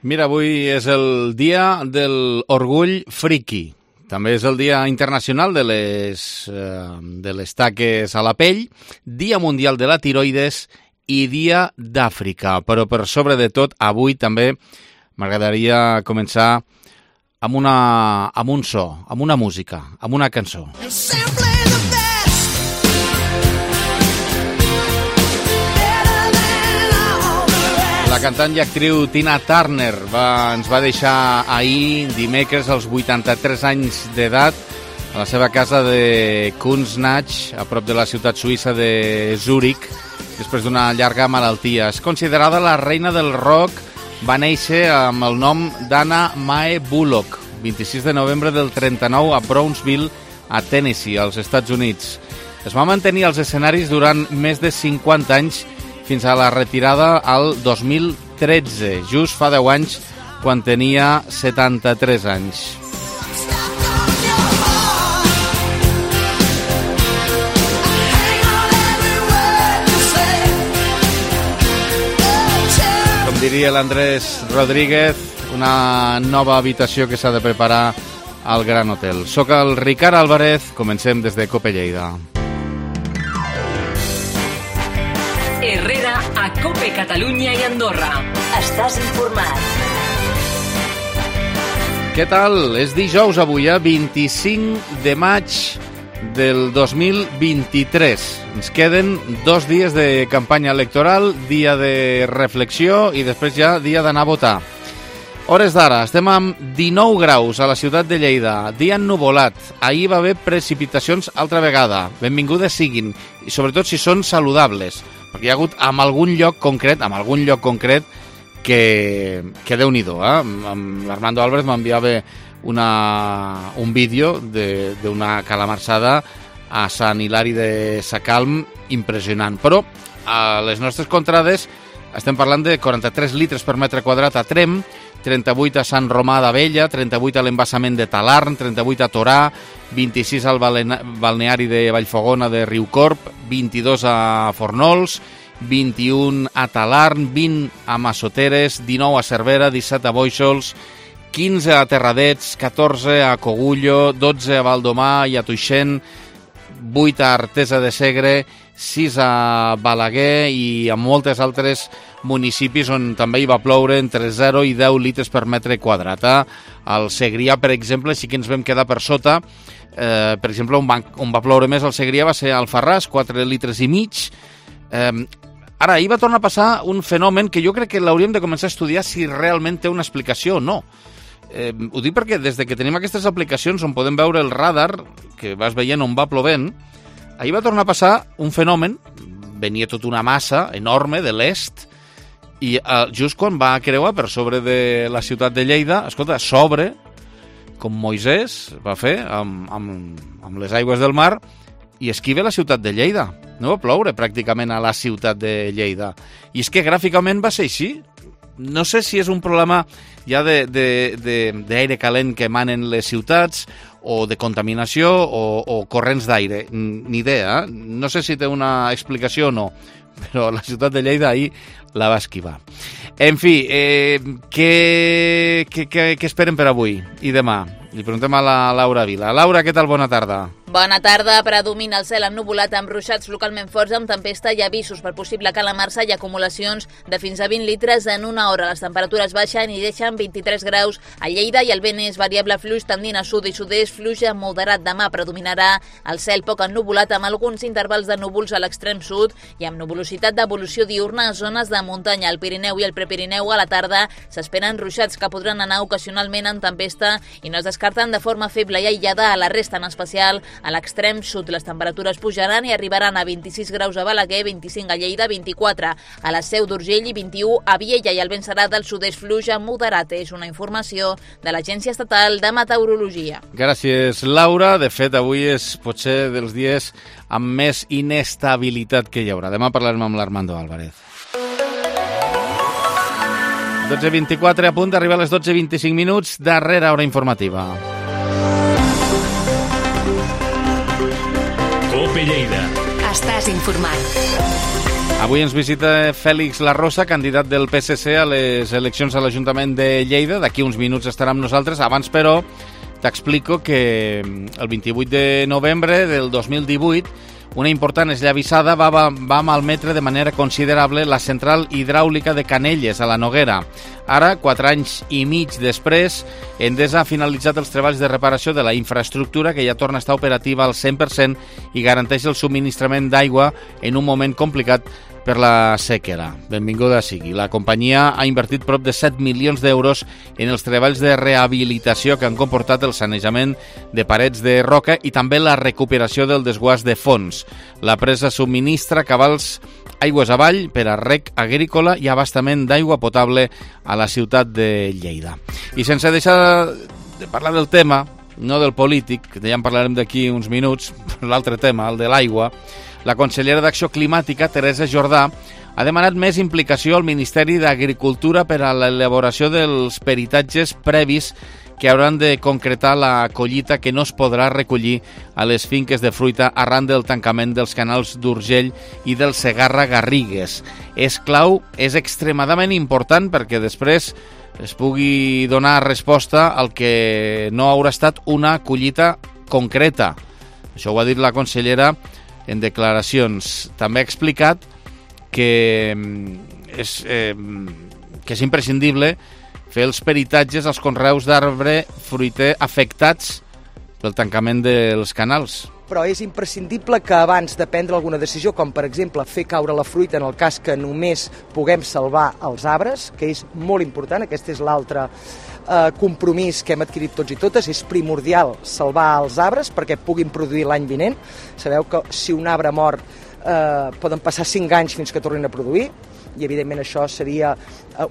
Mira, avui és el dia de l'orgull friki. També és el dia internacional de les taques a la pell, dia mundial de la tiroides i dia d'Àfrica. Però per sobre de tot, avui també m'agradaria començar amb un so, amb una música, amb una cançó. La cantant i actriu Tina Turner ens va deixar ahir, dimecres, als 83 anys d'edat, a la seva casa de Kunznach, a prop de la ciutat suïssa de Zúrich, després d'una llarga malaltia. És considerada la reina del rock, va néixer amb el nom d'Anna Mae Bullock, 26 de novembre del 39 a Brownsville, a Tennessee, als Estats Units. Es va mantenir als escenaris durant més de 50 anys, fins a la retirada al 2013, just fa 10 anys, quan tenia 73 anys. Com diria l'Andrés Rodríguez, una nova habitació que s'ha de preparar al Gran Hotel. Soc el Ricard Álvarez, comencem des de Cope Lleida. Herrera a Cope Catalunya i Andorra. Estàs informat. Què tal? És dijous avui, 25 de maig del 2023. Ens queden 2 dies de campanya electoral, dia de reflexió i després ja dia d'anar a votar. Hores d'ara, estem amb 19 graus a la ciutat de Lleida, dia ennuvolat. Ahir va haver precipitacions altra vegada. Benvingudes siguin, i sobretot si són saludables, perquè hi ha hagut en algun lloc concret que Déu-n'hi-do. L'Armando Álvarez m'enviava un vídeo d'una calamarsada a Sant Hilari de Sacalm impressionant. Però a les nostres contrades estem parlant de 43 litres per metre quadrat a Trem, 38 a Sant Romà d'Abella, 38 a l'embassament de Talarn, 38 a Torà, 26 al balneari de Vallfogona de Riucorp, 22 a Fornols, 21 a Talarn, 20 a Massoteres, 19 a Cervera, 17 a Bóixols, 15 a Terradets, 14 a Cogullo, 12 a Valdomà i a Tuixén, 8 a Artesa de Segre, 6 a Balaguer i a moltes altres municipis on també hi va ploure entre 0 i 10 litres per metre quadrat. Al Segrià, per exemple, sí que ens vam quedar per sota. Per exemple, on va ploure més al Segrià va ser al Farràs, 4 litres i mig. Ara, ahir va tornar a passar un fenomen que jo crec que l'hauríem de començar a estudiar si realment té una explicació o no. Ho dic perquè des que tenim aquestes aplicacions on podem veure el radar, que vas veient on va plovent, ahir va tornar a passar un fenomen, venia tota una massa enorme de l'est, i just quan va creuar per sobre de la ciutat de Lleida, escolta, s'obre, com Moisès va fer amb les aigües del mar, i esquiva la ciutat de Lleida. No va ploure pràcticament a la ciutat de Lleida. I és que gràficament va ser així. No sé si és un problema ja d'aire calent que emanen les ciutats, o de contaminació, o corrents d'aire. Ni idea, No sé si té una explicació o no, però la ciutat de Lleida ahir la va esquivar. En fi, què esperen per avui i demà? Li preguntem a la Laura Vila. Laura, què tal? Bona tarda. Bona tarda. Predomina el cel ennuvolat amb ruixats localment forts, amb tempesta i avisos per possible calamarsa i acumulacions de fins a 20 litres en una hora. Les temperatures baixen i deixen 23 graus a Lleida i el vent és variable fluix tendint a sud i sud-est, fluix a moderat. Demà predominarà el cel poc ennuvolat amb alguns intervals de núvols a l'extrem sud i amb nuvolositat d'evolució diurna a zones de muntanya. Al Pirineu i el Prepirineu a la tarda s'esperen ruixats que podran anar ocasionalment en tempesta i no es descarten de forma feble i aïllada a la resta, en especial a l'extrem sud. Les temperatures pujaran i arribaran a 26 graus a Balaguer, 25 a Lleida, 24 a la Seu d'Urgell i 21 a Viella, i el vent serà del sud-est fluix a moderat. És una informació de l'Agència Estatal de Meteorologia. Gràcies, Laura. De fet, avui és potser dels dies amb més inestabilitat que hi haurà. Demà parlarem amb l'Armando Álvarez. 12:24, a punt d'arribar a les 12:25 minuts, darrera hora informativa. Cope Lleida. Estàs informat. Avui ens visita Fèlix Larrosa, candidat del PSC a les eleccions a l'Ajuntament de Lleida. D'aquí uns minuts estarà amb nosaltres. Abans, però, t'explico que el 28 de novembre del 2018 una important esllavissada va malmetre de manera considerable la central hidràulica de Canelles, a la Noguera. Ara, 4 anys i mig després, Endesa ha finalitzat els treballs de reparació de la infraestructura, que ja torna a estar operativa al 100% i garanteix el subministrament d'aigua en un moment complicat per la sequera. Benvinguda sigui. La companyia ha invertit prop de 7 milions d'euros en els treballs de rehabilitació que han comportat el sanejament de parets de roca i també la recuperació del desguàs de fons. La presa subministra cabals aigües avall per a rec agrícola i abastament d'aigua potable a la ciutat de Lleida. I sense deixar de parlar del tema, no del polític, que ja en parlarem d'aquí uns minuts, l'altre tema, el de l'aigua, la consellera d'Acció Climàtica, Teresa Jordà, ha demanat més implicació al Ministeri d'Agricultura per a l'elaboració dels peritatges previs que hauran de concretar la collita que no es podrà recollir a les finques de fruita arran del tancament dels canals d'Urgell i del Segarra-Garrigues. És clau, és extremadament important perquè després es pugui donar resposta al que no haurà estat una collita concreta. Això ho ha dit la consellera en declaracions. També ha explicat que és imprescindible fer els peritatges als conreus d'arbre fruiter afectats pel tancament dels canals. Però és imprescindible que abans de prendre alguna decisió, com per exemple fer caure la fruita en el cas que només puguem salvar els arbres, que és molt important, aquest és l'altre compromís que hem adquirit tots i totes, és primordial salvar els arbres perquè puguin produir l'any vinent. Sabeu que si un arbre mor poden passar 5 anys fins que tornin a produir i evidentment això seria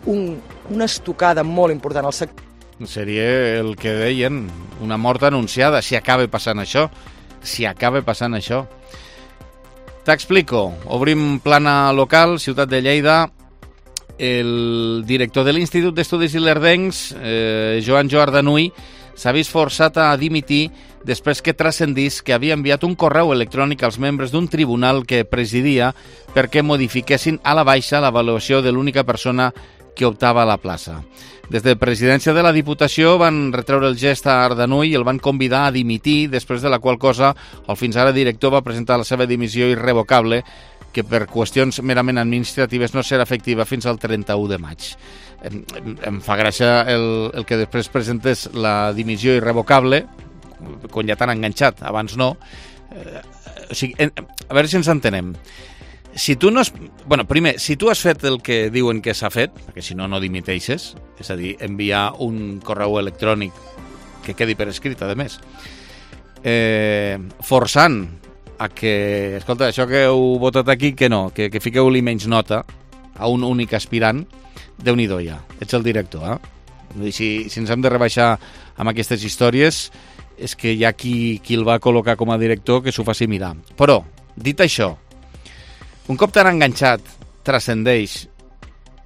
una estocada molt important al sector. Seria el que deien, una mort anunciada, si acaba passant això. T'explico. Obrim plana local, ciutat de Lleida. El director de l'Institut d'Estudis Ilerdencs, Joan Joardanuy, s'ha vist forçat a dimitir després que transcendís que havia enviat un correu electrònic als membres d'un tribunal que presidia perquè modifiquessin a la baixa l'avaluació de l'única persona que optava a la plaça. Des de presidència de la Diputació van retreure el gest a Ardanuy i el van convidar a dimitir, després de la qual cosa el fins ara director va presentar la seva dimissió irrevocable, que per qüestions merament administratives no serà efectiva fins al 31 de maig. Em fa gràcia el que després presentes la dimissió irrevocable, quan ja t'han enganxat, abans no. O sigui, a veure si ens entenem. Si tu no primer, si tu has fet el que diuen que s'ha fet, perquè si no, no dimiteixes, és a dir, enviar un correu electrònic que quedi per escrit, a més, forçant a que, escolta, això que heu votat aquí, que no, que fiqueu-li menys nota a un únic aspirant, Déu-n'hi-do ja, ets el director, eh? Si ens hem de rebaixar amb aquestes històries, és que hi ha qui el va col·locar com a director que s'ho faci mirar. Però, dit això, un cop t'han enganxat, transcendeix,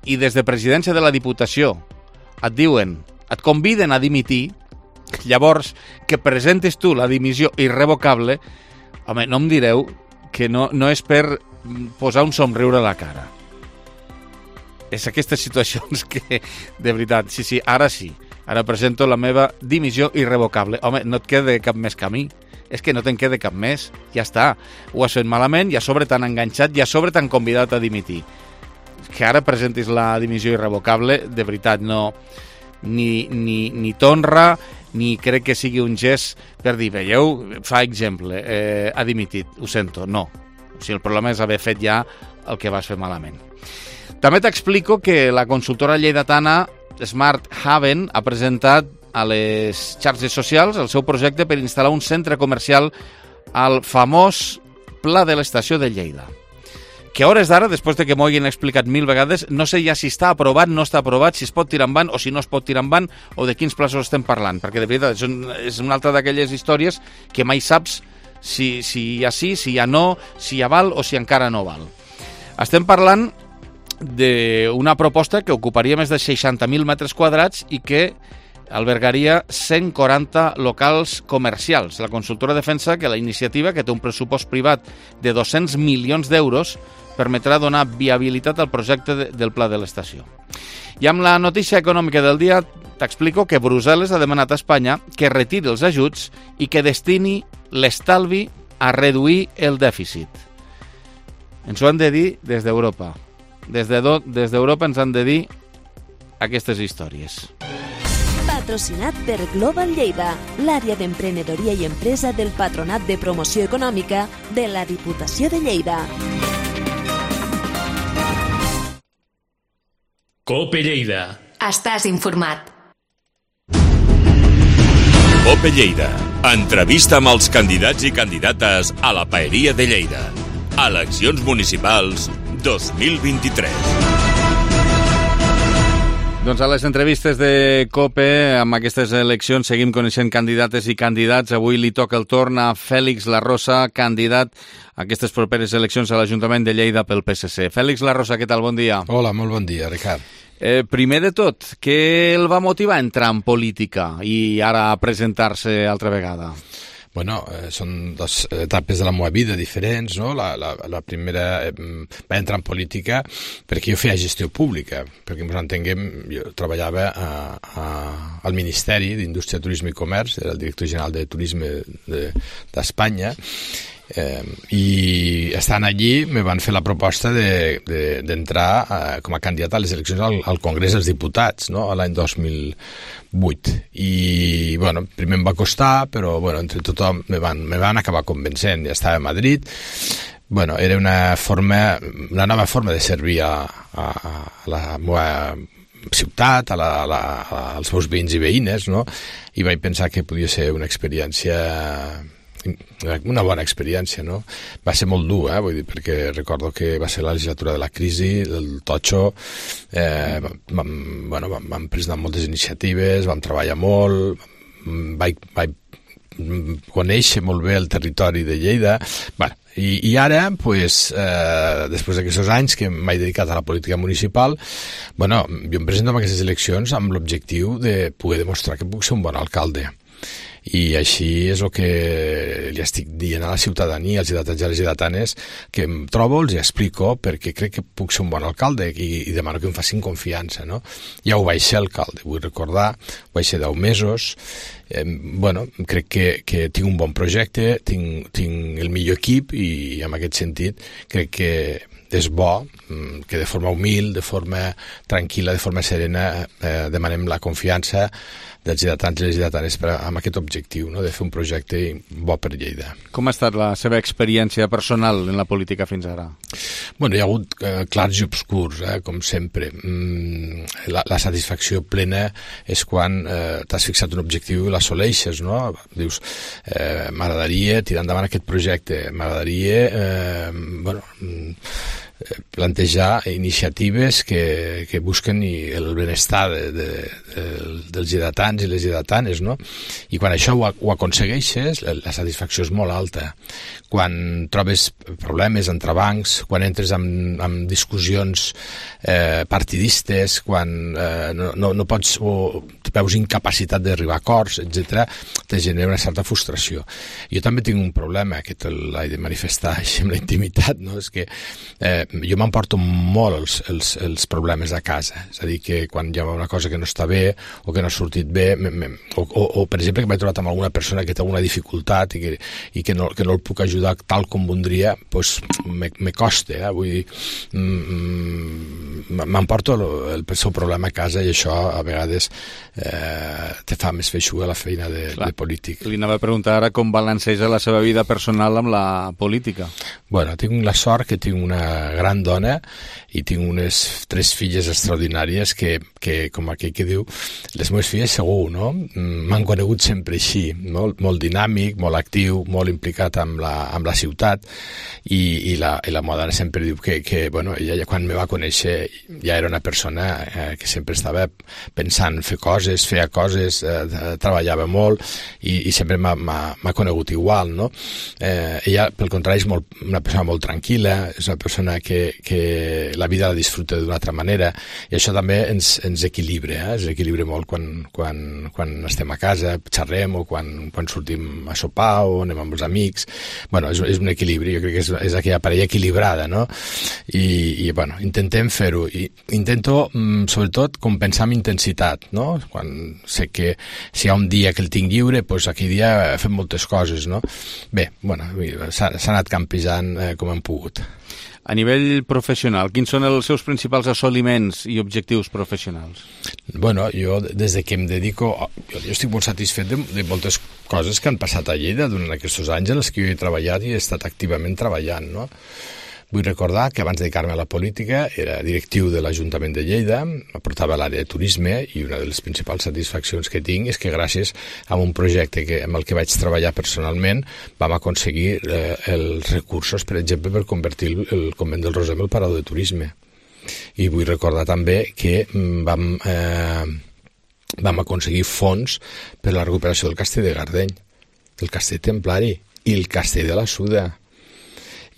i des de presidència de la Diputació et diuen, et conviden a dimitir, llavors que presentis tu la dimissió irrevocable, home, no em direu que no és per posar un somriure a la cara. És aquestes situacions que, de veritat, sí, ara sí. Ara presento la meva dimissió irrevocable. Home, no et queda cap més camí. És que no te'n queda cap més. Ja està. Ho has fet malament i a sobre t'han enganxat i a sobre t'han convidat a dimitir. Que ara presentis la dimissió irrevocable, de veritat, no... Ni t'honra, ni crec que sigui un gest per dir, veieu, fa exemple, ha dimitit, ho sento, no. O sigui, el problema és haver fet ja el que vas fer malament. També t'explico que la consultora lleidatana Smart Haven ha presentat a les xarxes socials el seu projecte per instal·lar un centre comercial al famós Pla de l'Estació de Lleida. Que a hores d'ara, després de que m'ho hagin explicat 1000 vegades, no sé ja si està aprovat, no està aprovat, si es pot tirar endavant o si no es pot tirar endavant o de quins plaços estem parlant, perquè de veritat és una altra d'aquelles històries que mai saps si hi ha sí, si hi ha no, si ja val o si encara no val. Estem parlant d'una proposta que ocuparia més de 60.000 metres quadrats i que albergaria 140 locals comercials. La consultora defensa que la iniciativa, que té un pressupost privat de 200 milions d'euros, permetrà donar viabilitat al projecte del pla de l'estació. I amb la notícia econòmica del dia t'explico que Brussel·les ha demanat a Espanya que retiri els ajuts i que destini l'estalvi a reduir el dèficit. Ens ho han de dir des d'Europa. Des d'Europa ens han de dir aquestes històries. Patrocinat per Global Lleida, l'àrea d'emprenedoria i empresa del Patronat de Promoció Econòmica de la Diputació de Lleida. COPE Lleida. Estàs informat. COPE Lleida. Entrevista amb els candidats i candidates a la Paeria de Lleida. Eleccions municipals 2023. Doncs a les entrevistes de COPE, amb aquestes eleccions, seguim coneixent candidates i candidats. Avui li toca el torn a Fèlix Larrosa, candidat a aquestes properes eleccions a l'Ajuntament de Lleida pel PSC. Fèlix Larrosa, què tal? Bon dia. Hola, molt bon dia, Ricard. Primer de tot, què el va motivar a entrar en política i ara a presentar-se altra vegada? Bueno, són dues etapes de la meva vida diferents, no? La primera va entrar en política perquè jo feia gestió pública, perquè ens entenguem, jo treballava al Ministeri d'Indústria, Turisme i Comerç, era el director general de Turisme d'Espanya, i estant allí me van fer la proposta d'entrar com a candidat a les eleccions al Congrés dels Diputats, no? L'any 2008, i bueno, primer em va costar, però bueno, entre tothom me van acabar convencent. Ja estava a Madrid. Bueno, era una nova forma de servir a la meva ciutat, als meus veïns i veïnes, no? I vaig pensar que podia ser una bona experiència, no? Va ser molt dur, vull dir, perquè recordo que va ser la legislatura de la crisi, del totxo, vam presentar moltes iniciatives, vam treballar molt, vaig conèixer molt bé el territori de Lleida, bueno, i ara, pues, després d'aquests anys que m'he dedicat a la política municipal, bueno, jo em presento en aquestes eleccions amb l'objectiu de poder demostrar que puc ser un bon alcalde. I així és el que li estic dient a la ciutadania, als ciutadans i a les ciutadanes, que em trobo, els explico, perquè crec que puc ser un bon alcalde i demano que em facin confiança, no? Ja ho vaig ser alcalde, vull recordar, vaig ser 10 mesos, bueno, crec que tinc un bon projecte, tinc el millor equip i en aquest sentit crec que és bo que de forma humil, de forma tranquil·la, de forma serena demanem la confiança dels ciutadans i les ciutadanes amb aquest objectiu, no? De fer un projecte bo per Lleida. Com ha estat la seva experiència personal en la política fins ara? Bueno, hi ha hagut clars i obscurs, com sempre. La satisfacció plena és quan t'has fixat un objectiu i l'assoleixes, no? Dius, m'agradaria tirar endavant aquest projecte, m'agradaria plantejar iniciatives que busquen el benestar dels ciutadans i les ciutadanes, no? I quan això ho aconsegueixes, la satisfacció és molt alta. Quan trobes problemes, entrebancs, quan entres en discussions partidistes, quan no pots o veus incapacitat d'arribar a acords, etc., te genera una certa frustració. Jo també tinc un problema que l'he de manifestar així amb la intimitat, no? És que jo m'emporto molt els problemes a casa, és a dir, que quan hi ha una cosa que no està bé o que no ha sortit bé, o per exemple que m'he trobat amb alguna persona que té alguna dificultat i que no el puc ajudar tal com voldria, doncs me costa, vull dir, m'emporto el seu problema a casa i això a vegades te fa més feixuga la feina de polític. Li anava a preguntar ara com balanceja la seva vida personal amb la política. Bueno, tinc la sort que tinc una gran dona i tinc unes 3 filles extraordinàries que com aquell que diu, les meves filles segur, no? M'han conegut sempre així, molt dinàmic, molt actiu, molt implicat amb la ciutat i la meva dona sempre diu que bueno, ella quan me va conèixer ja era una persona que sempre estava pensant en fer coses coses, feia coses, treballava molt i sempre m'ha conegut igual, no? Ella, pel contrari, és una persona molt tranquil·la, és una persona que la vida la disfruta d'una altra manera, i això també ens equilibra, ens equilibra molt quan estem a casa, xerrem, o quan sortim a sopar o anem amb els amics. Bueno, és un equilibri, jo crec que és aquella parella equilibrada, no? I bueno, intentem fer-ho. Intento, sobretot, compensar amb intensitat, no? Quan sé que si hi ha un dia que el tinc lliure, doncs aquell dia fem moltes coses, no? Bé, bueno, s'ha anat campejant com hem pogut. A nivell professional, quins són els seus principals assoliments i objectius professionals? Bueno, jo des de que em dedico... Jo estic molt satisfet de moltes coses que han passat a Lleida durant aquests anys en els que jo he treballat i he estat activament treballant, no? Vull recordar que abans de dedicar-me a la política era directiu de l'Ajuntament de Lleida, portava l'àrea de turisme, i una de les principals satisfaccions que tinc és que gràcies a un projecte amb el que vaig treballar personalment vam aconseguir els recursos, per exemple, per convertir el Convent del Roser en el parador de turisme. I vull recordar també que vam aconseguir fons per a la recuperació del Castell de Gardeny, del Castell Templari i el Castell de la Suda.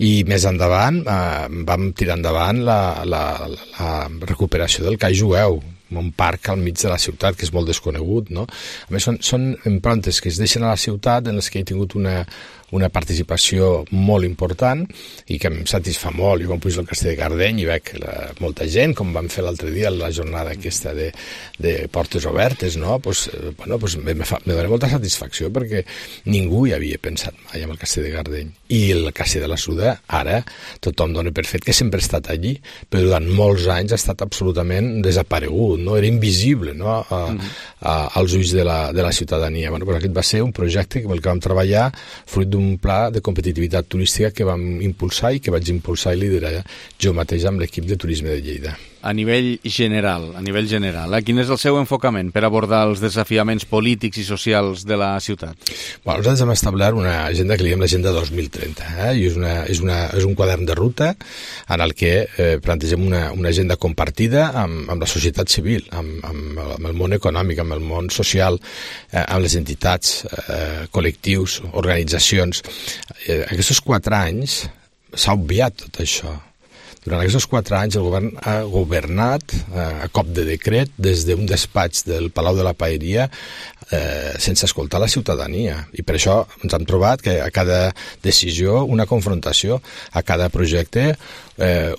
I més endavant vam tirar endavant la recuperació del Cai Jueu, un parc al mig de la ciutat que és molt desconegut, no? A més, són improntes que es deixen a la ciutat en les que he tingut una participació molt important i que em satisfà molt. Jo quan pujo al Castell de Gardeny i veig molta gent, com vam fer l'altre dia la jornada aquesta de portes obertes, no? Me dona molta satisfacció perquè ningú hi havia pensat mai en el Castell de Gardeny. I el Castell de la Suda, ara, tothom dona per fet que sempre ha estat allí, però durant molts anys ha estat absolutament desaparegut, no? Era invisible, no? Als ulls de la ciutadania. Bueno, aquest va ser un projecte amb el que vam treballar fruit d'un pla de competitivitat turística que vam impulsar i que vaig impulsar i liderar jo mateix amb l'equip de turisme de Lleida. A nivell general, quin és el seu enfocament per abordar els desafiaments polítics i socials de la ciutat? Bueno, nosaltres hem establert una agenda que li diem l'Agenda 2030, i és un quadern de ruta en el que plantegem una agenda compartida amb la societat civil, amb el món econòmic, amb el món social, amb les entitats, col·lectius, organitzacions. Aquests 4 anys s'ha obviat tot això. Durant aquests 4 anys el govern ha governat a cop de decret des d'un despatx del Palau de la Paeria sense escoltar la ciutadania. I per això ens hem trobat que a cada decisió una confrontació, a cada projecte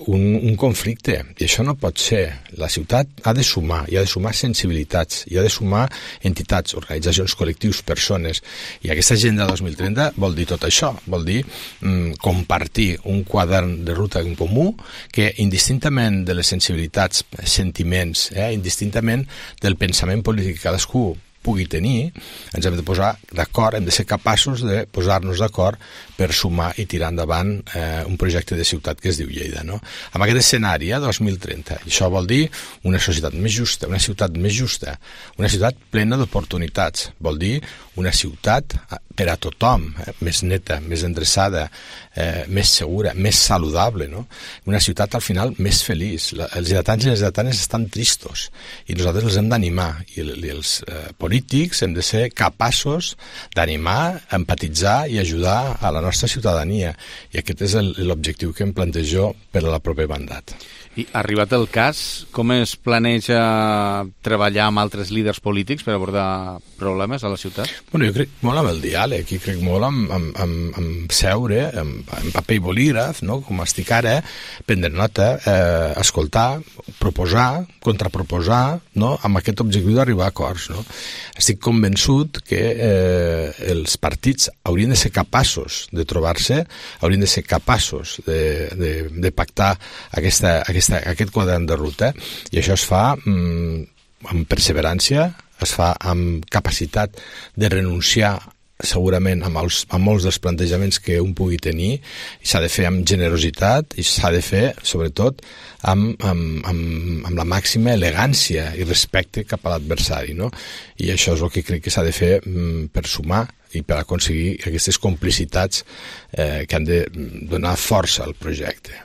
un conflicte. I això no pot ser. La ciutat ha de sumar, i ha de sumar sensibilitats, i ha de sumar entitats, organitzacions, col·lectius, persones. I aquesta Agenda 2030 vol dir tot això, vol dir compartir un quadern de ruta en comú que indistintament de les sensibilitats, sentiments, indistintament del pensament polític que cadascú pugui tenir, ens hem de posar d'acord, hem de ser capaços de posar-nos d'acord per sumar i tirar endavant un projecte de ciutat que es diu Lleida, no? Amb aquest escenari, 2030, i això vol dir una societat més justa, una ciutat més justa, una ciutat plena d'oportunitats, vol dir una ciutat per a tothom, més neta, més endreçada, més segura, més saludable, no? Una ciutat al final més feliç. Els lleidatans i les lleidatanes estan tristos i nosaltres els hem d'animar, i els polítics hem de ser capaços d'animar, empatitzar i ajudar a la nostra ciutadania, i aquest és l'objectiu que em plantejo per a la proper mandat. I arribat el cas, com es planeja treballar amb altres líders polítics per abordar problemes a la ciutat? Bueno, jo crec molt amb el diàleg, i crec molt amb seure, amb paper i bolígraf, no? Com estic ara, prendre nota, escoltar, proposar, contraproposar, no? Amb aquest objectiu d'arribar a acords, no? Estic convençut que els partits haurien de ser capaços de trobar-se, haurien de ser capaços de pactar aquest quadern de ruta, i això es fa amb perseverància, es fa amb capacitat de renunciar segurament a molts dels plantejaments que un pugui tenir, i s'ha de fer amb generositat, i s'ha de fer sobretot amb la màxima elegància i respecte cap a l'adversari, no? I això és el que crec que s'ha de fer per sumar i per aconseguir aquestes complicitats que han de donar força al projecte.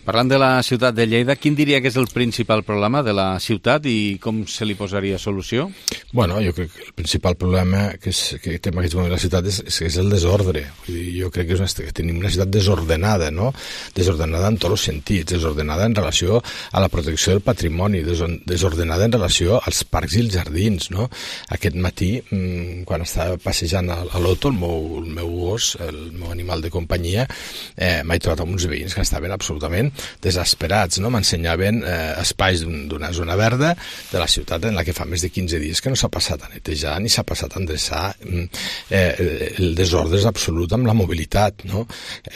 Parlant de la ciutat de Lleida, quin diria que és el principal problema de la ciutat i com se li posaria solució? Bueno, jo crec que el principal problema que té en aquest moment la ciutat és el desordre. Vull dir, jo crec que tenim una ciutat desordenada, no? Desordenada en tots els sentits, desordenada en relació a la protecció del patrimoni, desordenada en relació als parcs i els jardins, no? Aquest matí, quan estava passejant a l'Oto, el meu gos, el meu animal de companyia, m'he trobat amb uns veïns que estaven absolutament desesperats, no? M'ensenyaven espais d'una zona verda de la ciutat en la que fa més de 15 dies que no s'ha passat a netejar ni s'ha passat a endreçar. El desordre és absolut amb la mobilitat, no?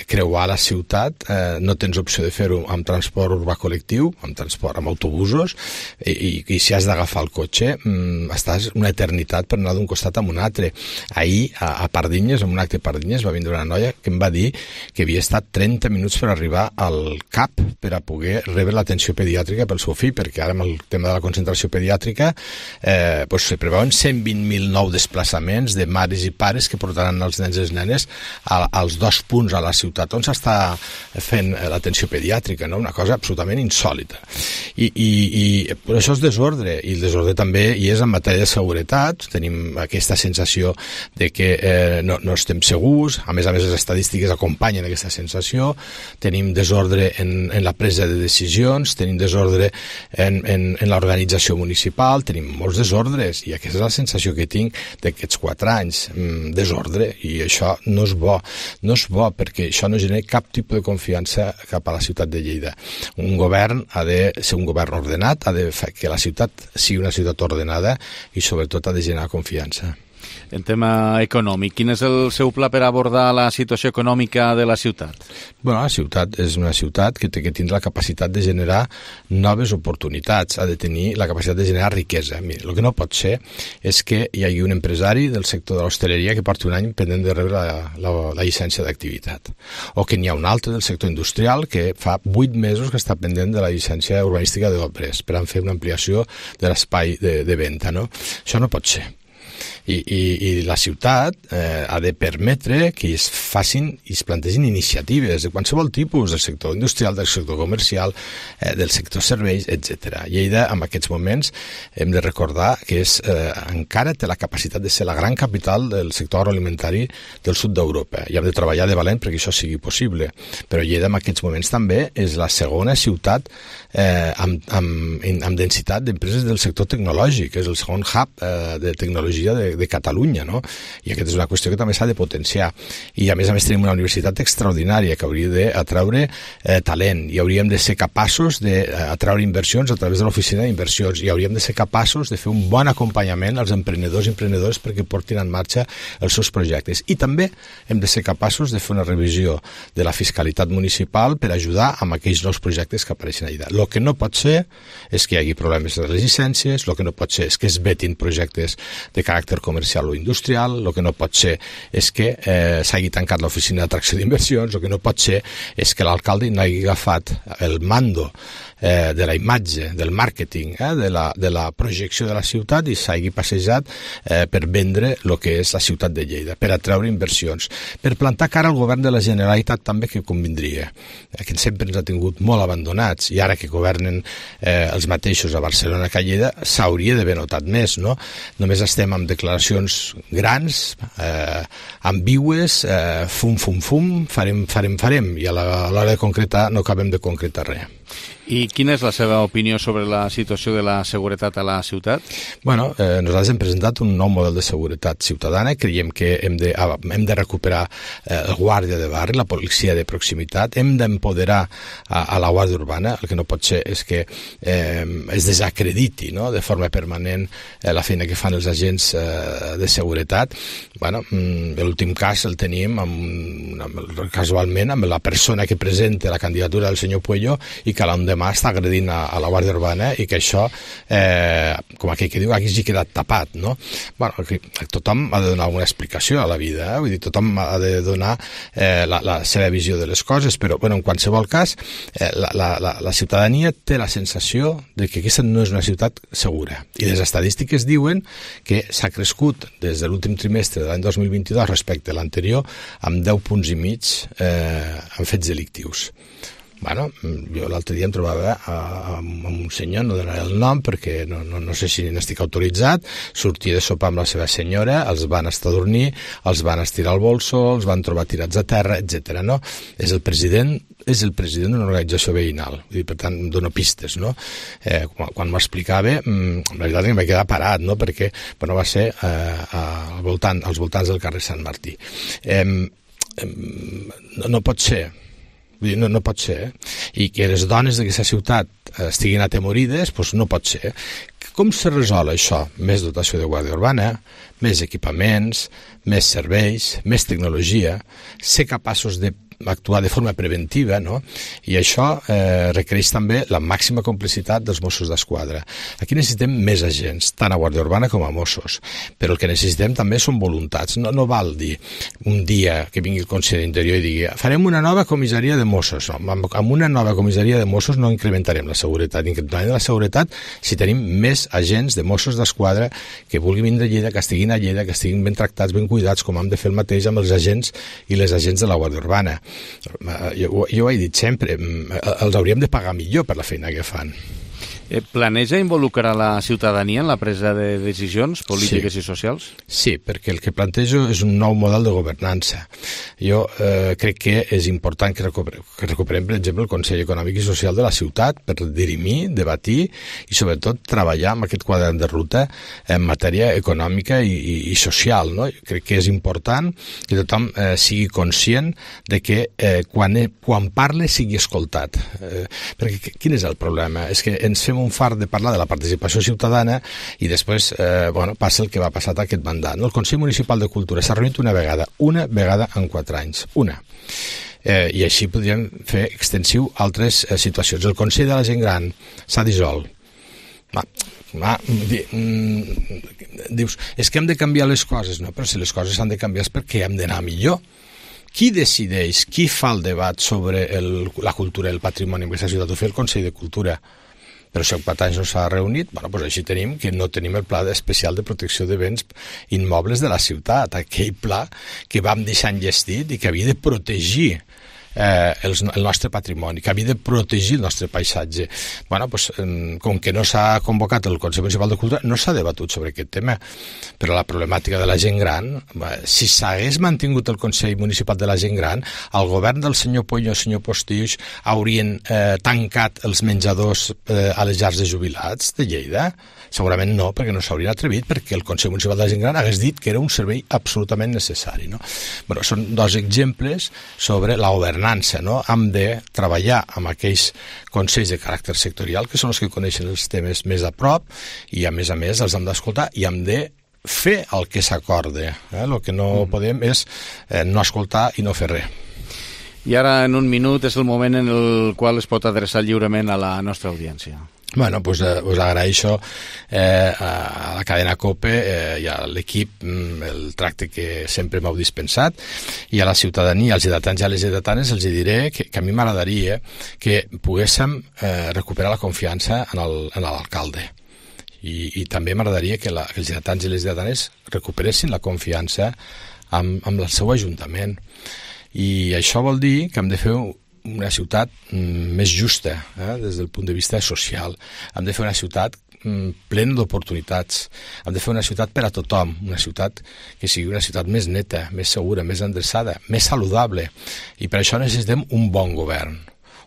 Creuar la ciutat, no tens opció de fer-ho amb transport urbà col·lectiu, amb autobusos, i si has d'agafar el cotxe estàs una eternitat per anar d'un costat a un altre. Ahir a Pardinyes, en un acte a Pardinyes, va vindre una noia que em va dir que havia estat 30 minuts per arribar al CAP per a poder rebre l'atenció pediàtrica pel seu fill, perquè ara amb el tema de la concentració pediàtrica se preveuen 120.000 nous desplaçaments de mares i pares que portaran els nens i les nenes als 2 punts a la ciutat on s'està fent l'atenció pediàtrica, no? Una cosa absolutament insòlita. I això és desordre, i el desordre també hi és en matèria de seguretat. Tenim aquesta sensació de que no estem segurs, a més les estadístiques acompanyen aquesta sensació, tenim desordre en la presa de decisions, tenim desordre en l'organització municipal, tenim molts desordres, i aquesta és la sensació que tinc d'aquests 4 anys, desordre, i això no és bo, perquè això no genera cap tipus de confiança cap a la ciutat de Lleida. Un govern ha de ser un govern ordenat, ha de fer que la ciutat sigui una ciutat ordenada i sobretot ha de generar confiança. En tema econòmic, quin és el seu pla per abordar la situació econòmica de la ciutat? Bueno, la ciutat és una ciutat que té que tindre la capacitat de generar noves oportunitats, ha de tenir la capacitat de generar riquesa. Mira, el que no pot ser és que hi hagi un empresari del sector de l'hostaleria que porti un any pendent de rebre la llicència d'activitat, o que n'hi ha un altre del sector industrial que fa 8 mesos que està pendent de la llicència urbanística d'obres per a fer una ampliació de l'espai de venda, no? Això no pot ser. I la ciutat ha de permetre que es facin i es plantegin iniciatives de qualsevol tipus, del sector industrial, del sector comercial, del sector serveis, etc. Lleida, en aquests moments, hem de recordar que encara té la capacitat de ser la gran capital del sector agroalimentari del sud d'Europa, i hem de treballar de valent perquè això sigui possible. Però Lleida, en aquests moments, també és la segona ciutat amb densitat d'empreses del sector tecnològic, és el segon hub de tecnologia de Catalunya, no? I aquesta és una qüestió que també s'ha de potenciar. I a més tenim una universitat extraordinària que hauria d'atraure talent, i hauríem de ser capaços d'atraure inversions a través de l'oficina d'inversions, i hauríem de ser capaços de fer un bon acompanyament als emprenedors i emprenedores perquè portin en marxa els seus projectes. I també hem de ser capaços de fer una revisió de la fiscalitat municipal per ajudar amb aquells nous projectes que apareixen a Lleida. El que no pot ser és que hi hagi problemes de les llicències, el que no pot ser és que es vetin projectes de caràcter comercial o industrial, el que no pot ser és que s'hagi tancat l'oficina d'atracció d'inversions, el que no pot ser és que l'alcalde no hagi agafat el mando de la imatge, del màrqueting, de la projecció de la ciutat, i s'hagi passejat per vendre el que és la ciutat de Lleida, per atreure inversions, per plantar cara al govern de la Generalitat també, que convindria, que sempre ens ha tingut molt abandonats, i ara que governen els mateixos a Barcelona que a Lleida s'hauria d'haver notat més, no? Només estem amb declaracions grans, ambigües, fum, farem, i a l'hora de concretar no acabem de concretar res. I quina és la seva opinió sobre la situació de la seguretat a la ciutat? Bueno, nosaltres hem presentat un nou model de seguretat ciutadana. Creiem que hem de recuperar el guàrdia de barri, la policia de proximitat, hem d'empoderar a la Guàrdia Urbana. El que no pot ser és que es desacrediti, no?, de forma permanent la feina que fan els agents de seguretat. Bueno, l'últim cas el tenim casualment amb la persona que presenta la candidatura del senyor Puello i que l'endemà està agredint a la Guàrdia Urbana, i que això, com aquell que diu, hagi quedat tapat, no? Bueno, tothom ha de donar alguna explicació a la vida, vull dir, tothom ha de donar la seva visió de les coses, però, bueno, en qualsevol cas, la ciutadania té la sensació de que aquesta no és una ciutat segura, i les estadístiques diuen que s'ha crescut des de l'últim trimestre de l'any 2022 respecte a l'anterior amb 10 punts i mig en fets delictius. Bueno, jo l'altre dia em trobava amb un senyor, no donaré el nom perquè no sé si n'estic autoritzat, sortia de sopar amb la seva senyora, els van estar a dormir, els van estirar al bolso, els van trobar tirats a terra, etc. No? És el president d'una organització veïnal, i per tant em dono pistes, no? Quan m'ho explicava, la veritat que em vaig quedar parat, no? Perquè va ser als voltants del carrer Sant Martí. No pot ser. No pot ser, i que les dones d'aquesta ciutat estiguin atemorides, doncs no pot ser. Com se resol això? Més dotació de guàrdia urbana, més equipaments, més serveis, més tecnologia, ser capaços d'actuar de forma preventiva, no? I això requereix també la màxima complicitat dels Mossos d'Esquadra. Aquí necessitem més agents, tant a Guàrdia Urbana com a Mossos, però el que necessitem també són voluntats. No val dir un dia que vingui el conseller d'Interior i digui farem una nova comissaria de Mossos. No, amb una nova comissaria de Mossos no incrementarem la seguretat. Incrementarem la seguretat si tenim més agents de Mossos d'Esquadra que vulguin vindre a Lleida, que estiguin a Lleida, que estiguin ben tractats, ben cuidats, com hem de fer el mateix amb els agents i les agents de la Guàrdia Urbana. Jo ho he dit sempre, els hauríem de pagar millor per la feina que fan. Planeja involucrar la ciutadania en la presa de decisions polítiques i socials? Sí, perquè el que plantejo és un nou model de governança. Jo crec que és important que recuperem, per exemple, el Consell Econòmic i Social de la ciutat per dirimir, debatir i sobretot treballar amb aquest quadern de ruta en matèria econòmica i social. No? Crec que és important que tothom sigui conscient de que quan parle sigui escoltat. Perquè quin és el problema? És que ens fem un fart de parlar de la participació ciutadana i després passa el que va passar aquest mandat. El Consell Municipal de Cultura s'ha reunit una vegada en 4 anys, una. I així podríem fer extensiu altres situacions. El Consell de la Gent Gran s'ha dissolt. Dius, és que hem de canviar les coses, no? Però si les coses s'han de canviar és perquè hem d'anar millor. Qui decideix, qui fa el debat sobre la cultura i el patrimoni en aquesta ciutat? Ho fa el Consell de Cultura. Però si en 4 anys no s'ha reunit, doncs així tenim que no tenim el pla especial de protecció de béns immobles de la ciutat, aquell pla que vam deixar enllestit i que havia de protegir el nostre patrimoni, que havia de protegir el nostre paisatge. Com que no s'ha convocat el Consell Municipal de Cultura, no s'ha debatut sobre aquest tema. Però la problemàtica de la gent gran, si s'hagués mantingut el Consell Municipal de la Gent Gran, el govern del senyor Puig i el senyor Postius haurien tancat els menjadors a les llars de jubilats de Lleida? Segurament no, perquè no s'haurien atrevit, perquè el Consell Municipal de la Gent Gran hagués dit que era un servei absolutament necessari. No? Són 2 exemples sobre la governança. No? Hem de treballar amb aquells consells de caràcter sectorial, que són els que coneixen els temes més a prop, i a més els hem d'escoltar i hem de fer el que s'acorde. El que no podem és no escoltar i no fer res. I ara, en un minut, és el moment en el qual es pot adreçar lliurement a la nostra audiència. Us agraeixo a la cadena COPE i a l'equip el tracte que sempre m'heu dispensat, i a la ciutadania, als lleidatans i a les lleidatanes els diré que a mi m'agradaria que poguéssim recuperar la confiança en l'alcalde. I també m'agradaria que els lleidatans i les lleidatanes recuperessin la confiança amb el seu ajuntament. I això vol dir que hem de fer una ciutat més justa des del punt de vista social. Hem de fer una ciutat plena d'oportunitats. Hem de fer una ciutat per a tothom, una ciutat que sigui una ciutat més neta, més segura, més endreçada, més saludable. I per això necessitem un bon govern.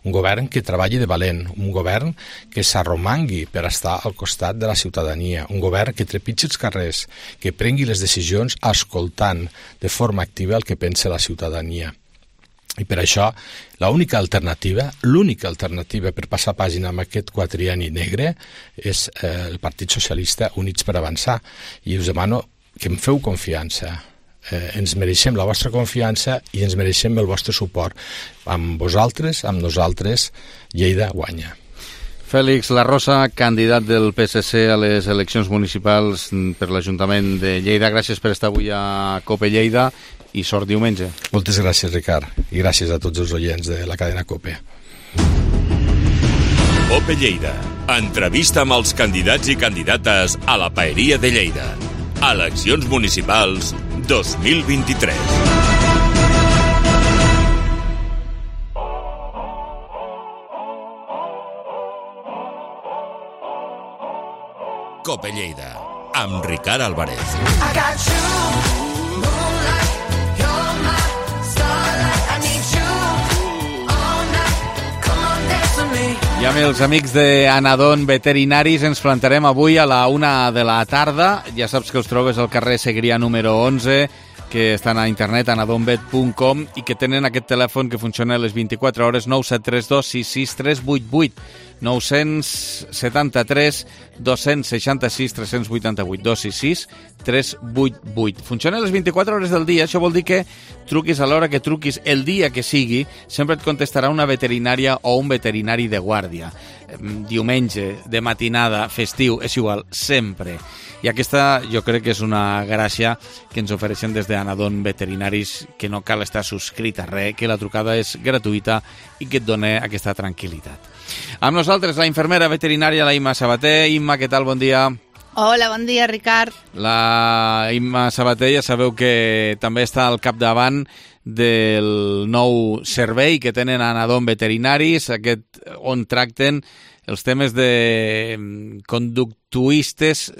Un govern que treballi de valent, un govern que s'arromangui per estar al costat de la ciutadania, un govern que trepitgi els carrers, que prengui les decisions escoltant de forma activa el que pensa la ciutadania. I per això l'única alternativa per passar pàgina amb aquest quadrienni negre és el Partit Socialista Units per Avançar. I us demano que em feu confiança. Ens mereixem la vostra confiança i ens mereixem el vostre suport. Amb vosaltres, amb nosaltres, Lleida guanya. Fèlix Larrosa, candidat del PSC a les eleccions municipals per l'Ajuntament de Lleida. Gràcies per estar avui a COPE Lleida i sort diumenge. Moltes gràcies, Ricard, i gràcies a tots els oients de la cadena COPE. COPE Lleida. Entrevista amb els candidats i candidates a la Paeria de Lleida. Eleccions municipals 2023. Cope Lleida, amb Ricard Álvarez. I amb els amics d'Anadon Veterinaris ens plantarem avui a la 1 de la tarda. Ja saps que els trobes al carrer Segrià número 11, que estan a internet, anadonvet.com, i que tenen aquest telèfon que funciona a les 24 hores, 9732 66388. 973 266 388 266 388. Funciona a les 24 hores del dia. Això vol dir que truquis a l'hora que truquis, el dia que sigui, sempre et contestarà una veterinària o un veterinari de guàrdia. Diumenge, de matinada, festiu, és igual, sempre. I aquesta jo crec que és una gràcia que ens ofereixen des d'Anadon Veterinaris, que no cal estar subscrit a res, que la trucada és gratuïta i que et dona aquesta tranquil·litat. Amb nosaltres la infermera veterinària, la Imma Sabater. Imma, què tal? Bon dia. Hola, bon dia, Ricard. La Imma Sabater ja sabeu que també està al capdavant del nou servei que tenen a Anadon Veterinaris, aquest on tracten els temes de conductuistes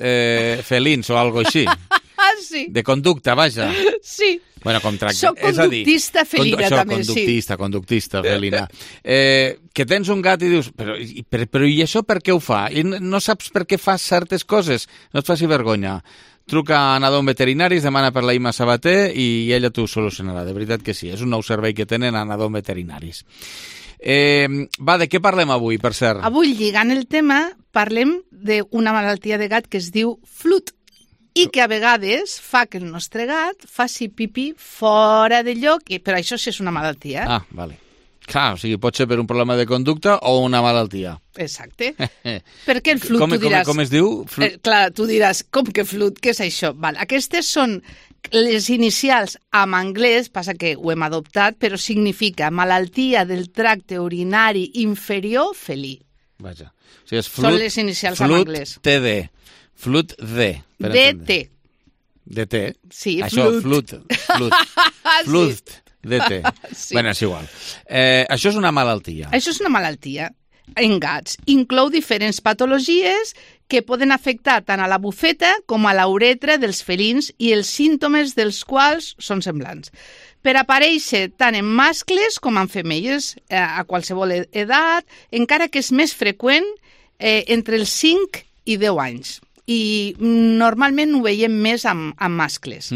felins o alguna cosa així. Sí. De conducta, vaja. Sí. Bueno, com tracte. Soc conductista felina, també, Conductista felina. Que tens un gat i dius, però i això per què ho fa? I no saps per què fa certes coses? No et faci vergonya. Truca a Anadon Veterinaris, demana per la Imma Sabater i ella t'ho solucionarà. De veritat que sí, és un nou servei que tenen a Anadon Veterinaris. De què parlem avui, per cert? Avui, lligant el tema, parlem d'una malaltia de gat que es diu flut i que a vegades fa que el nostre gat faci pipí fora de lloc, però això sí és una malaltia. Ah, vale. Clar, o sigui, pot ser per un problema de conducta o una malaltia. Exacte. Perquè el flut, tu diràs... Com es diu? Clar, tu diràs, com que flut, què és això? Val, aquestes són les inicials en anglès, passa que ho hem adoptat, però significa malaltia del tracte urinari inferior felí. Vaja. O sigui, és flut, són les inicials en anglès. TD. Flut D. DT. DT? Sí, això, flut. Flut. DT. Sí. Bueno, és igual. Això és una malaltia. Això és una malaltia en gats. Inclou diferents patologies que poden afectar tant a la bufeta com a la uretra dels felins i els símptomes dels quals són semblants. Per aparèixer tant en mascles com en femelles a qualsevol edat, encara que és més freqüent entre els 5 i 10 anys. I normalment ho veiem més amb mascles.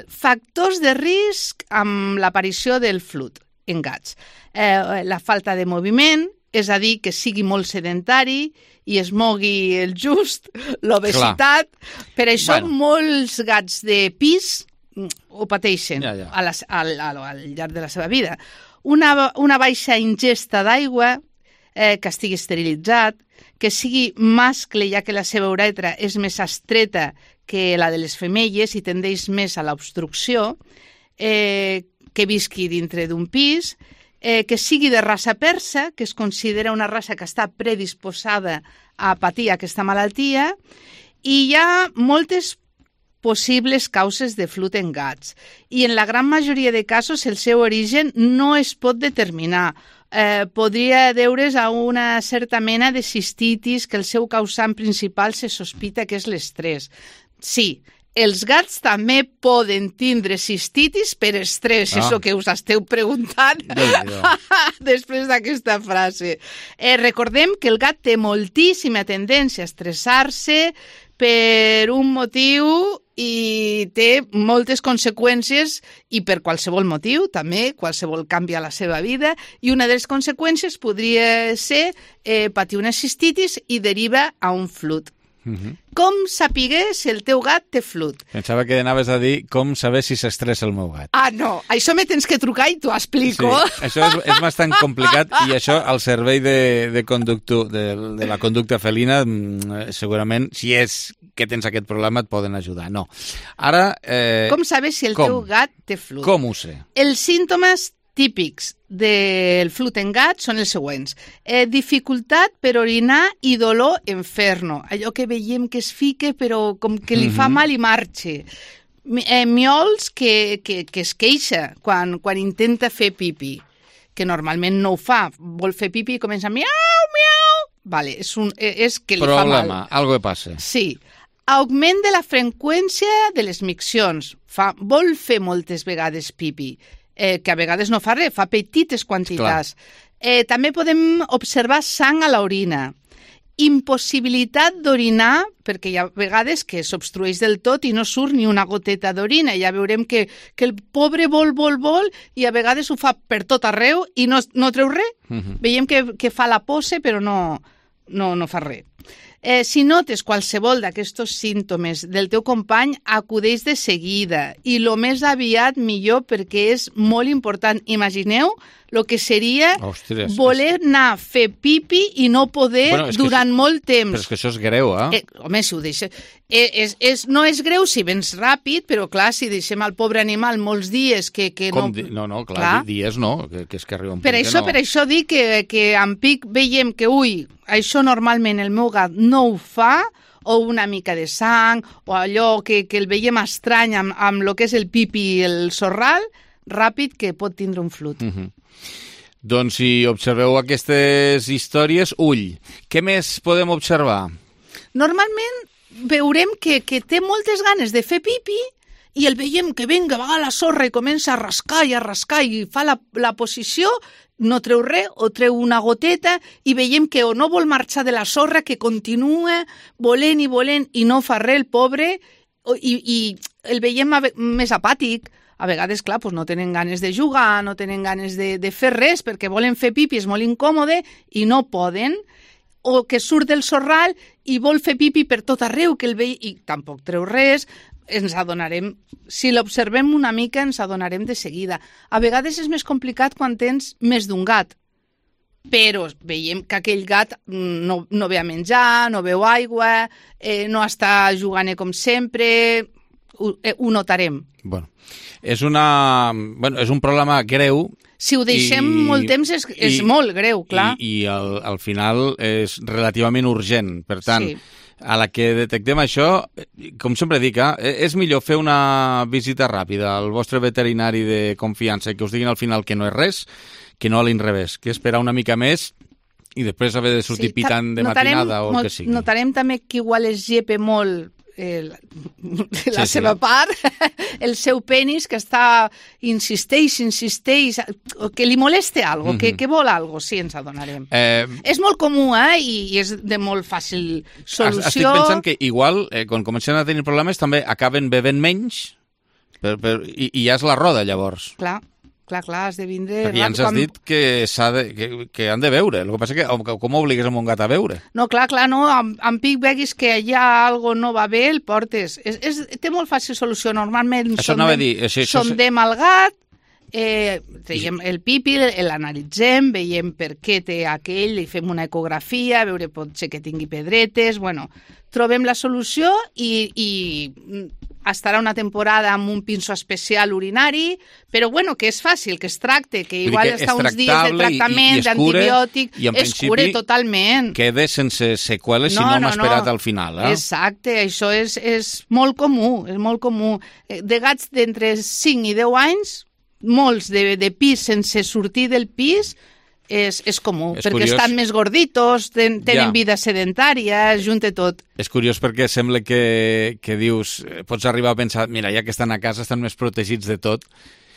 Factors de risc amb l'aparició del flut en gats. La falta de moviment, és a dir, que sigui molt sedentari i es mogui el just, l'obesitat. Per això molts gats de pis ho pateixen al llarg de la seva vida. Una baixa ingesta d'aigua, que estigui esterilitzat, que sigui mascle, ja que la seva uretra és més estreta que la de les femelles i tendeix més a l'obstrucció, que visqui dintre d'un pis, que sigui de raça persa, que es considera una raça que està predisposada a patir aquesta malaltia, i hi ha moltes possibles causes de flut en gats. I en la gran majoria de casos el seu origen no es pot determinar. Podria deure's a una certa mena de cistitis que el seu causant principal se sospita que és l'estrès. Sí, els gats també poden tindre cistitis per estrès, és el que us esteu preguntant després d'aquesta frase. Recordem que el gat té moltíssima tendència a estressar-se per un motiu i té moltes conseqüències i per qualsevol motiu, també, qualsevol canvi a la seva vida, i una de les conseqüències podria ser patir una cistitis i deriva a un flut. Com saber si el teu gat té flut? Pensava que anaves a dir com saber si s'estressa el meu gat. Ah, no, això me tens que trucar i t'ho explico. Sí, això és bastant complicat i això al servei de la conducta felina segurament, si és que tens aquest problema, et poden ajudar. No. Ara... Com saber si el teu gat té flut? Com ho sé? Els símptomes típics del flut en gat són els següents. Dificultat per orinar i dolor en ferno. Allò que veiem que es fica però com que li fa mal i marxa. Miols que es queixa quan intenta fer pipi, que normalment no ho fa. Vol fer pipi i comença miau, miau, Vale, és que li Problema, fa mal. algo que passa. Sí. Augment de la freqüència de les miccions. Vol fer moltes vegades pipi, que a vegades no fa res, fa petites quantitats. També podem observar sang a l'orina. Impossibilitat d'orinar, perquè hi ha vegades que s'obstrueix del tot i no surt ni una goteta d'orina. Ja veurem que el pobre vol, i a vegades ho fa per tot arreu i no treu res. Veiem que fa la pose, però no fa res. Si notes qualsevol d'aquests símptomes del teu company, acudeix de seguida i el més aviat millor, perquè és molt important. Imagineu el que seria voler anar a fer pipi i no poder durant molt temps. Però és que això és greu, home, si ho deixem... no és greu si vens ràpid, però clar, si deixem al pobre animal molts dies que no... No, clar, dies no, que és que arriba un punt que no. Per això dic que en pic veiem que, això normalment el meu gat no ho fa, o una mica de sang, o allò que el veiem estrany amb el que és el pipi i el sorral, ràpid que pot tindre un flut. Doncs si observeu aquestes històries, ull. Què més podem observar? Normalment veurem que té moltes ganes de fer pipi i el veiem que va a la sorra i comença a rascar i fa la posició, no treu res o treu una goteta i veiem que o no vol marxar de la sorra, que continua volent i no fa res el pobre i el veiem més apàtic. A vegades, clar, no tenen ganes de jugar, no tenen ganes de fer res perquè volen fer pipi, és molt incòmode i no poden, o que surt del sorral i vol fer pipi per tot arreu, que el veiem i tampoc treu res. Ens adonarem, si l'observem una mica, ens adonarem de seguida. A vegades és més complicat quan tens més d'un gat, però veiem que aquell gat no ve a menjar, no beu aigua, no està jugant com sempre, ho notarem. Bueno, és un problema greu. Si ho deixem molt temps és molt greu, clar. I al final és relativament urgent. Per tant, a la que detectem això, com sempre dic, és millor fer una visita ràpida al vostre veterinari de confiança i que us diguin al final que no és res, que no a l'inrevés, que esperar una mica més i després haver de sortir picant de matinada o el que sigui. Notarem també que igual es llepa molt la seva part, el seu penis, que insisteix, que li molesta algo, que vol algo, sí, ens adonarem. És molt comú, i és de molt fàcil solució. Estic pensant que igual, quan comencen a tenir problemes, també acaben bevent menys i ja és la roda, llavors. Clar, has de vindre... Perquè ja ens has dit que han de beure. El que passa que com obligues a un gat a beure? No, clar, no. En pic veguis que allà algo no va bé, el portes. Té molt fàcil solució. Normalment sondem el gat, traiem el pipi, l'analitzem, veiem per què té aquell, li fem una ecografia, veure potser que tingui pedretes... Bueno, trobem la solució i estarà una temporada amb un pinso especial urinari, però bueno, que és fàcil, que es tracte, que igual està uns dies de tractament, d'antibiòtic, es cura totalment. Queda sense seqüeles si no hem esperat al final. Exacte, això és molt comú, és molt comú. De gats d'entre 5 i 10 anys, molts de pis sense sortir del pis, és comú, perquè estan més gorditos, tenen vida sedentària, junta tot. És curiós perquè sembla que dius, pots arribar a pensar, mira, ja que estan a casa estan més protegits de tot.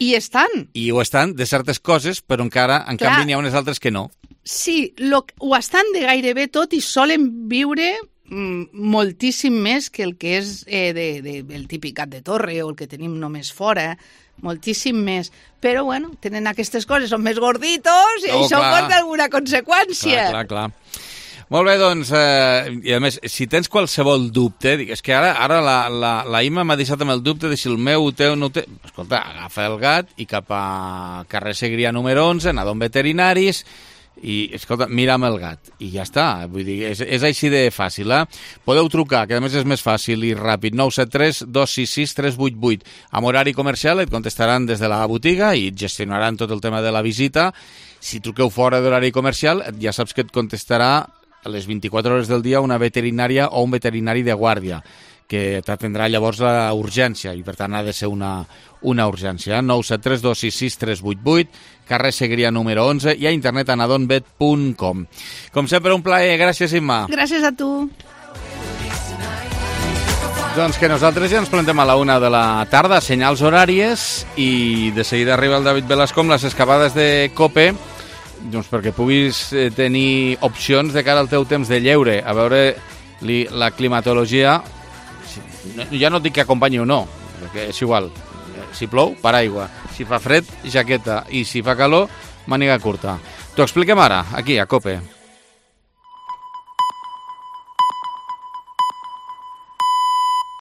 I estan. I ho estan de certes coses, però encara, en canvi, n'hi ha unes altres que no. Sí, ho estan de gairebé tot i solen viure moltíssim més que el que és el típic gat de torre o el que tenim només fora, moltíssim més. Però, bueno, tenen aquestes coses, són més gorditos i això porta alguna conseqüència. Clar. Molt bé, doncs, i a més, si tens qualsevol dubte, és que ara la Ima m'ha deixat amb el dubte de si el meu ho té o no ho té. Escolta, agafa el gat i cap a carrer Segrià número 11, anar a un veterinaris i, escolta, mira amb el gat i ja està, vull dir, és així de fàcil, Podeu trucar, que a més és més fàcil i ràpid, 973 266 388 amb horari comercial, et contestaran des de la botiga i et gestionaran tot el tema de la visita. Si truqueu fora d'horari comercial, ja saps que et contestarà a les 24 hores del dia una veterinària o un veterinari de guàrdia, que t'atendrà llavors la urgència, i per tant ha de ser una urgència. 973266388, carrer Segrià número 11, i a internet a nadonvet.com. Com sempre, un plaer. Gràcies, Imma. Gràcies a tu. Doncs que nosaltres ja ens plantem a la 1 de la tarda, senyals horàries, i de seguida arriba el David Velasco amb les escapades de COPE, doncs perquè puguis tenir opcions de cara al teu temps de lleure, a veure la climatologia. Ja no et dic que acompanyi o no, perquè és igual. Si plou, paraigua. Si fa fred, jaqueta. I si fa calor, màniga curta. T'ho expliquem ara, aquí, a COPE.